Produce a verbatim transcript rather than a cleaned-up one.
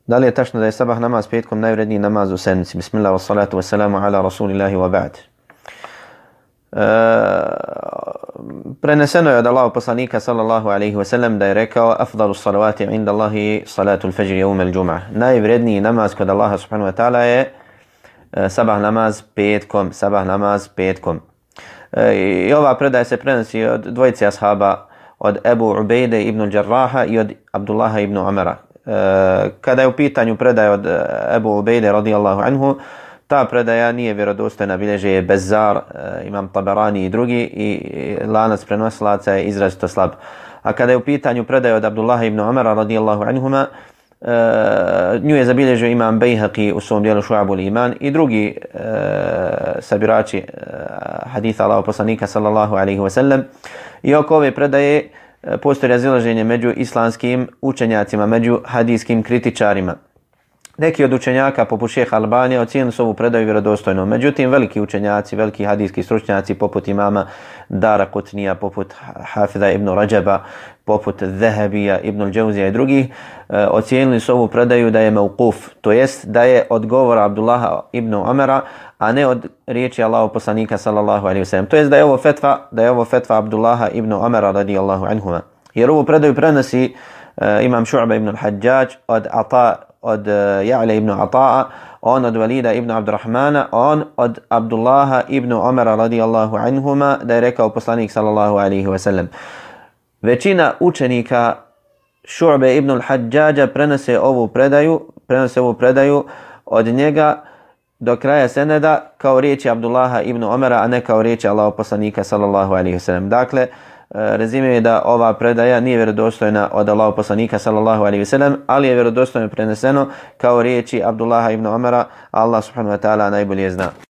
Da li je tačno da je sabah namaz petkom najvredniji namaz u sedmici? Bismillah, wa salatu wa salamu ala rasulillahi wa ba'd. E, preneseno je od Allahov poslanika sallallahu alaihi wa sallam da je rekao: afdalu salavati inda Allahi salatu al-fajr yawm al-jum'ah. Najvredniji namaz kod Allaha subhanahu wa ta'ala je e, sabah namaz petkom, sabah namaz petkom. E, I ova predaja se prenosi od dvojice ashaba, od Ebu Ubejde ibn Đarraha i od Abdullaha ibn Umara. Kada je u pitanju predaja od Ebu Ubejde radijallahu anhu, ta predaja nije vjerodostojna, bilježe je Bezzar, Imam Tabarani i drugi, i lanac prenosilaca je izrazito slab. A kada je u pitanju predaja od Abdullaha ibn Umara radijallahu anhuma, nju je zabilježio Imam Bejhaqi u svom dijelu Šu'abul Iman i drugi sabirači haditha Allahov poslanika sallallahu alaihi wa sallam. I oko ove predaje postoji razilaženje među islamskim učenjacima, među hadijskim kritičarima. Neki od učenjaka, poput šeha Albanija, ocijenili su ovu predaju vjerodostojnom. Međutim, veliki učenjaci, veliki hadijski stručnjaci, poput imama Dara Kutnija, poput Hafida ibn Rajaba, poput Zahabija, ibn al-Džauzija i drugih, ocijenili su ovu predaju da je mauquf, to jest da je od govora Abdullaha ibn Umara, a ne od riječi Allahov poslanika sallallahu alejhi ve sellem. To jest da je ovo fetva, da je ovo fetva Abdullaha ibn Umara radijallahu anhuma. Jer ovu predaju prenosi uh, imam Šu'ba ibn al-Hajjaj od Ata, od uh, Ja'la ibn Ata'a, on od Walida ibn Abdurrahmana, on od Abdullaha ibn Umara radijallahu anhuma, da je rekao poslanik sallallahu alejhi ve sellem. Većina učenika Šu'be ibn al-Hajjaja prenose ovu predaju, prenose ovu predaju od njega do kraja seneda kao riječi Abdullaha ibn Umara, a ne kao riječi Allahov poslanika sallallahu alejhi ve sellem. Dakle, rezime je da ova predaja nije vjerodostojna od Allahov poslanika sallallahu alejhi ve sellem, ali je vjerodostojno preneseno kao riječi Abdullaha ibn Umara. Allah subhanahu wa ta'ala najbolje zna.